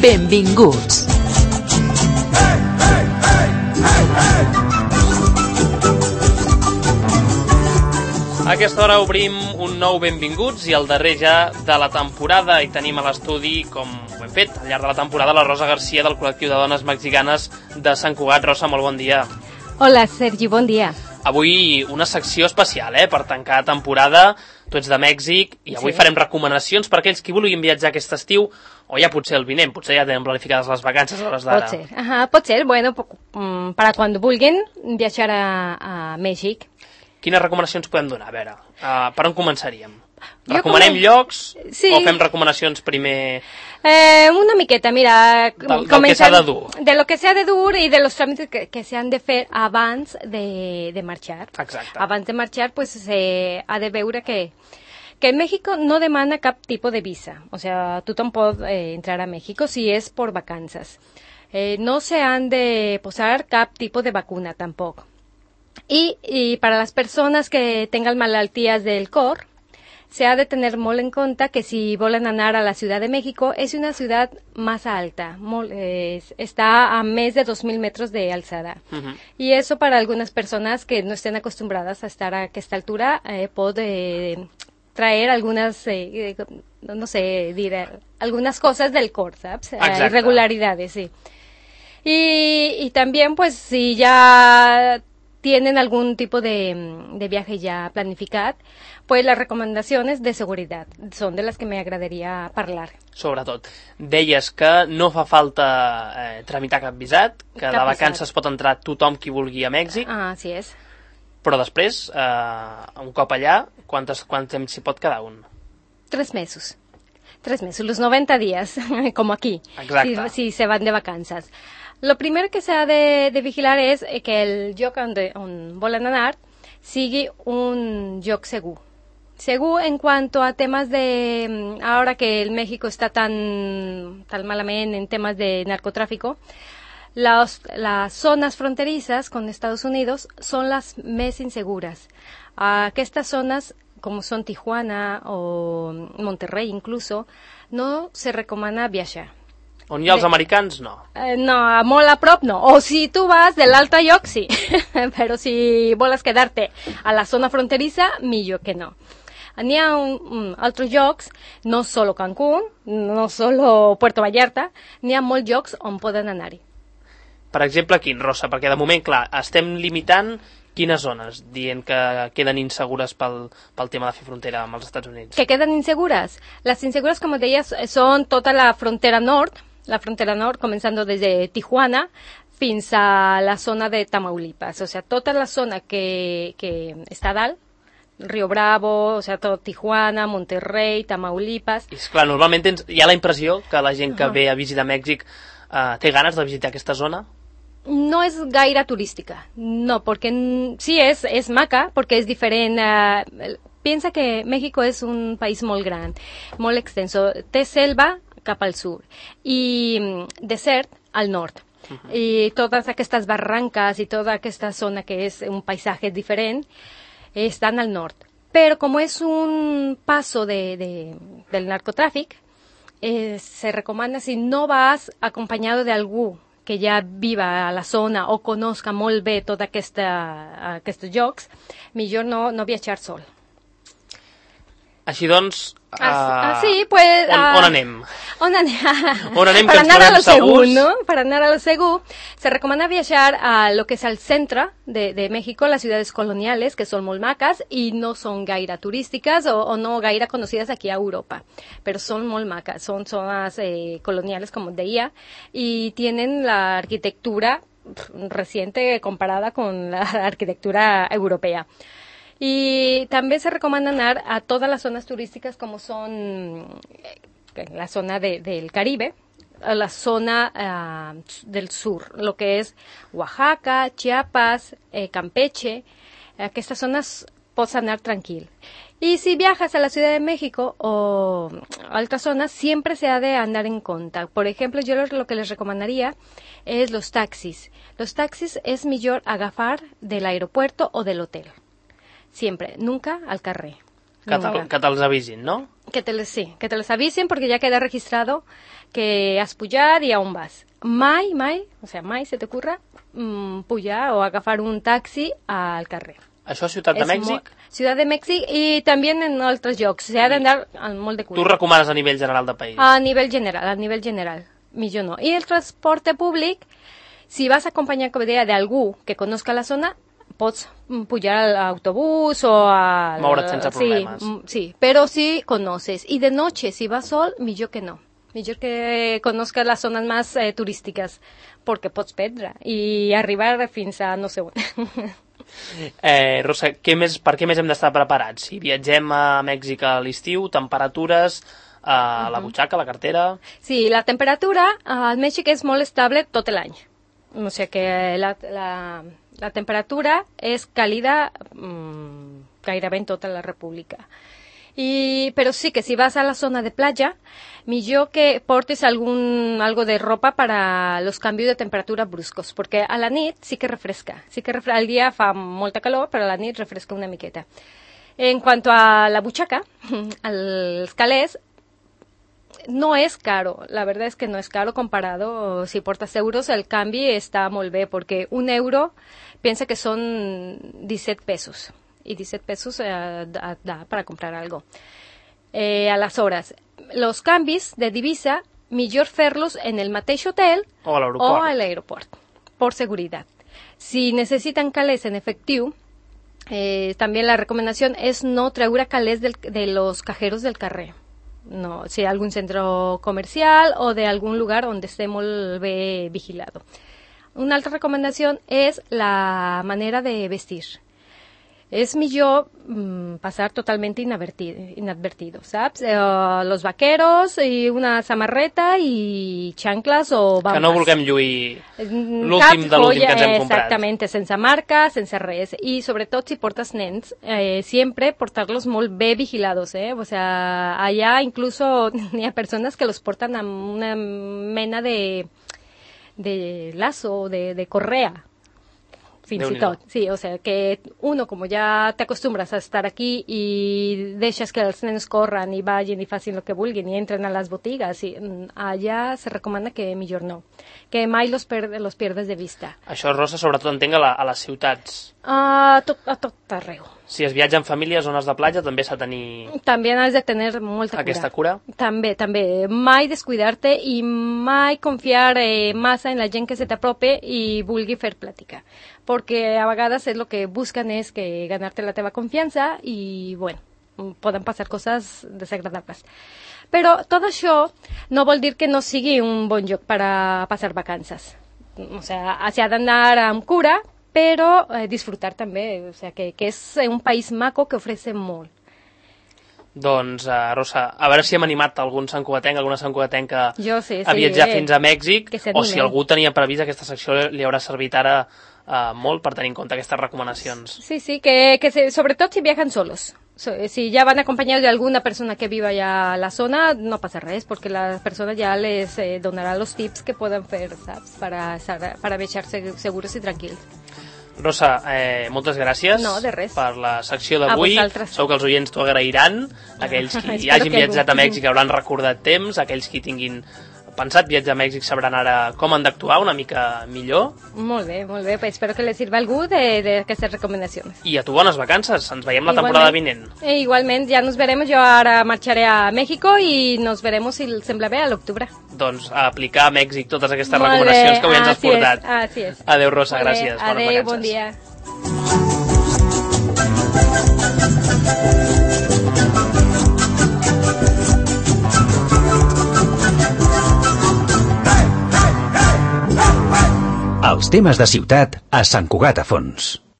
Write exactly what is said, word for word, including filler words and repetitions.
Benvinguts. A aquesta hora obrim un nou Benvinguts i el darrer ja de la temporada, i tenim a l'estudi, com ho hem fet al llarg de la temporada, la Rosa Garcia del col·lectiu de dones mexicanes de Sant Cugat. Rosa, molt bon dia. Hola, Sergi, bon dia. Avui una secció especial, eh, per tancar temporada. Tu ets de Mèxic i avui sí. farem recomanacions per aquells que vulguin viatjar aquest estiu, o ja potser el vinent, potser ja tenen planificades les vacances a l'hores d'ara. Pot ser, Ajá, pot ser, bueno, para cuando vulguin viatjar a, a Mèxic. Quines recomanacions podem donar? A veure, uh, per on començaríem? Recomanem com... llocs sí. o fem recomanacions primer? Eh, una miqueta, mira... Del, del que s'ha de dur. De lo que s'ha de dur i de los tràmits que, que s'han de fer abans de, de marxar. Exacte. Abans de marxar, pues, se ha de veure que, que México no demana cap tipus de visa. O sea, tothom pot eh, entrar a México si és por vacances. Eh, no se han de posar cap tipus de vacuna, tampoc. Y, y para las personas que tengan malaltías del cor, se ha de tener molt en cuenta que si volen anar a la Ciudad de México, es una ciudad más alta, molt, eh, está a més de dos mil metros de alçada. Uh-huh. Y eso para algunas personas que no estén acostumbradas a estar a aquesta altura, eh, puede eh, traer algunas, eh, no sé, dir, algunas cosas del cor, ¿sabes? Eh, irregularidades, sí. Y, y también, pues, si ya tienen algún tipo de, de viaje ya planificat, pues las recomendaciones de seguridad son de las que me agradaria parlar. Sobretot. Deies que no fa falta eh, tramitar cap visat, que cap de vacances visat. Pot entrar tothom qui vulgui a Mèxic. Ah, així és. Però després, eh, un cop allà, quantes, quant temps s'hi pot quedar un? Tres mesos. Tres mesos, los noventa días, como aquí, si, si se van de vacances. Lo primero que se ha de, de vigilar és que el lloc on, de, on volen anar sigui un lloc segur. Segur en cuanto a temas de... Ahora que el México está tan, tan malament en temas de narcotráfico, las, las zonas fronterizas con Estados Unidos son las més inseguras. Aquestes zonas, como son Tijuana o Monterrey incluso, no se recomana viajar. On hi ha els americans, no? Eh, no, molt a prop no. O si tu vas de l'altre lloc, sí. Però si vols quedar-te a la zona fronteriza, millor que no. N'hi ha un, un, altres llocs, no solo Cancún, no solo Puerto Vallarta, n'hi ha molts llocs on poden anar-hi. Per exemple, quin, Rosa? Perquè de moment, clar, estem limitant quines zones, dient que queden insegures pel, pel tema de fer frontera amb els Estats Units. Que queden insegures? Les insegures, com deies, són tota la frontera nord, la frontera nord, comenzando desde Tijuana fins a la zona de Tamaulipas. O sea, tota la zona que, que està dalt, Río Bravo, o sea, tot Tijuana, Monterrey, Tamaulipas. I, esclar, normalment tens, hi ha la impressió que la gent que uh-huh. ve a visitar Mèxic eh, té ganes de visitar aquesta zona? No és gaire turística, no, porque sí es, es maca, porque es diferent. Uh, piensa que México es un país molt gran, molt extenso. Té selva cap al sur i desert al nord. Uh-huh. I totes aquestes barranques i tota aquesta zona que és un paisatge diferent estan al nord. Però com és un paso de, de, del narcotráfic, eh, se recomana si no vas acompanyado de algú que ja viva a la zona o conozca molt bé tots aquests llocs, millor no, no viatjar sol. Així doncs, uh, ah, sí, pues, on, uh, on anem? On anem? On anem Para que ens anar a lo segurs? segur, ¿no? Para anar a lo segur, se recomana viajar a lo que es el centre de, de México, las ciudades coloniales, que son molt macas y no son gaire turísticas o, o no gaire conocidas aquí a Europa, pero son molt macas, son zonas eh, coloniales, como deia, y tienen la arquitectura reciente comparada con la arquitectura europea. Y también se recomienda anar a todas las zonas turísticas como son la zona de, del Caribe, a la zona uh, del sur, lo que es Oaxaca, Chiapas, eh, Campeche. Aquestes zones pots anar tranquil. Y si viajas a la Ciudad de México o a otras zonas, siempre se ha de andar en cuenta. Por ejemplo, yo lo que les recomendaría es los taxis. Los taxis es millor agafar del aeropuerto o del hotel. Siempre, nunca al carrer. Que te'ls avisin, no? Que te les, sí, que te les avisen porque ya queda registrado que has pujat i a on vas. Mai, mai, o sea, mai se t'ocurra mm, pujar o agafar un taxi al carrer. Això és Ciutat de Mèxic? Ciutat de Mèxic i també en altres llocs. S'ha d'anar molt de cura. Tu recomanes a nivell general del país? A nivell general, a nivell general. Millor no. I el transporte públic, si vas acompanyat, com deia, d'algú que conozca la zona, pots pujar al autobús o al... Moure't sense problemes. Sí, sí, però si conoces. I de noche, si vas sol, millor que no. Millor que conozcas les zones més eh, turístiques, perquè pots perdre i arribar fins a no sé on. eh, Rosa, què més, per què més hem d'estar preparats? Si viatgem a Mèxic a l'estiu, temperatures, eh, la butxaca, la cartera... Sí, la temperatura al Mèxic és molt estable tot l'any. O sigui que la... la La temperatura és càlida mmm, gairebé en tota la república. I, però sí que si vas a la zona de platja, millor que portes algún, algo de ropa para los cambios de temperatura bruscos, perquè a la nit sí que refresca. Sí que refresca. Al dia fa molta calor, però a la nit refresca una miqueta. En cuanto a la butxaca, als calés, no es caro, la verdad es que no es caro comparado, si portas euros el cambio está muy bien, porque un euro piensa que son diecisiete pesos, y diecisiete pesos eh, da, da para comprar algo. Eh, a las horas, los cambios de divisa, millor fer-los en el mateix hotel o a l'aeroport, o a l'aeroport, por seguridad. Si necesitan calés en efectiu, eh, también la recomendación es no treure calés del, de los cajeros del carrer. No, si algún centro comercial o de algún lugar donde esté molt bé vigilado. Una altra recomanació és la manera de vestir. És millor mm, passar totalment inadvertido, inadvertido ¿sabes? Eh, los vaqueros i una samarreta i xancles o bambas. Que no vulguem lluir l'últim de l'últim que ens hem comprat. Exactament, sense marca, sense res. I sobretot si portes nens, eh, sempre portar-los molt bé vigilados, eh? O sea, allà incluso hi ha persones que los portan amb una mena de, de lazo, de, de correa. Fins i tot, sí, o sea, que uno, como ya te acostumbras a estar aquí y dejas que els nens corran i vagin i facin el que vulguin i entren a les botigues, i allà se recomana que millor no, que mai los, per, los pierdes de vista. Això, Rosa, sobretot entenc a, la, a les ciutats. A tot, a tot arreu. Si es viatja en família a zones de platja, també s'ha de tenir... També has de tenir molta cura. Aquesta cura? També, també. Mai descuidar-te i mai confiar eh, massa en la gent que se t'aprope i vulgui fer plàtica. Perquè a vegades és el que busquen és que ganar-te la teva confiança i, bueno, poden passar coses desagradables. Però tot això no vol dir que no sigui un bon lloc per a passar vacances. O sea, s'ha d'anar amb cura, però eh, disfrutar també, o sea, que, que és un país maco que ofrece molt. Doncs, uh, Rosa, a veure si hem animat algun santcugatenc, alguna santcugatenca jo sí, sí, a viatjar eh, fins a Mèxic, o si eh. algú tenia previst aquesta secció li haurà servit ara uh, molt per tenir en compte aquestes recomanacions. Sí, sí, que, que se, sobretot si viajan solos. So, si ya van acompañados de alguna persona que viva ya en la zona, no pasa res, porque la persona ya les eh, donará los tips que puedan hacer, ¿sabes? Para, para viatjar seguros i tranquils. Rosa, eh, moltes gràcies no, de res. per la secció d'avui. Segur que els oients t'ho agrairan. Aquells que hi hagin viatjat a Mèxic hauran recordat temps, aquells que tinguin pensat viatjar a Mèxic sabran ara com han d'actuar una mica millor. Molt bé, molt bé. Pues espero que les sirva a algú d'aquestes recomanacions. I a tu bones vacances. Ens veiem la temporada vinent. E igualment, ja nos veremos. Jo ara marxaré a México i nos veremos, si sembla bé, a l'octubre. Doncs a aplicar a Mèxic totes aquestes molt recomanacions bé. Que avui ens has así portat. És, así és. Adéu, Rosa, molt gràcies. Bé. Adéu, bon dia. Els temes de ciutat a Sant Cugat a Fons.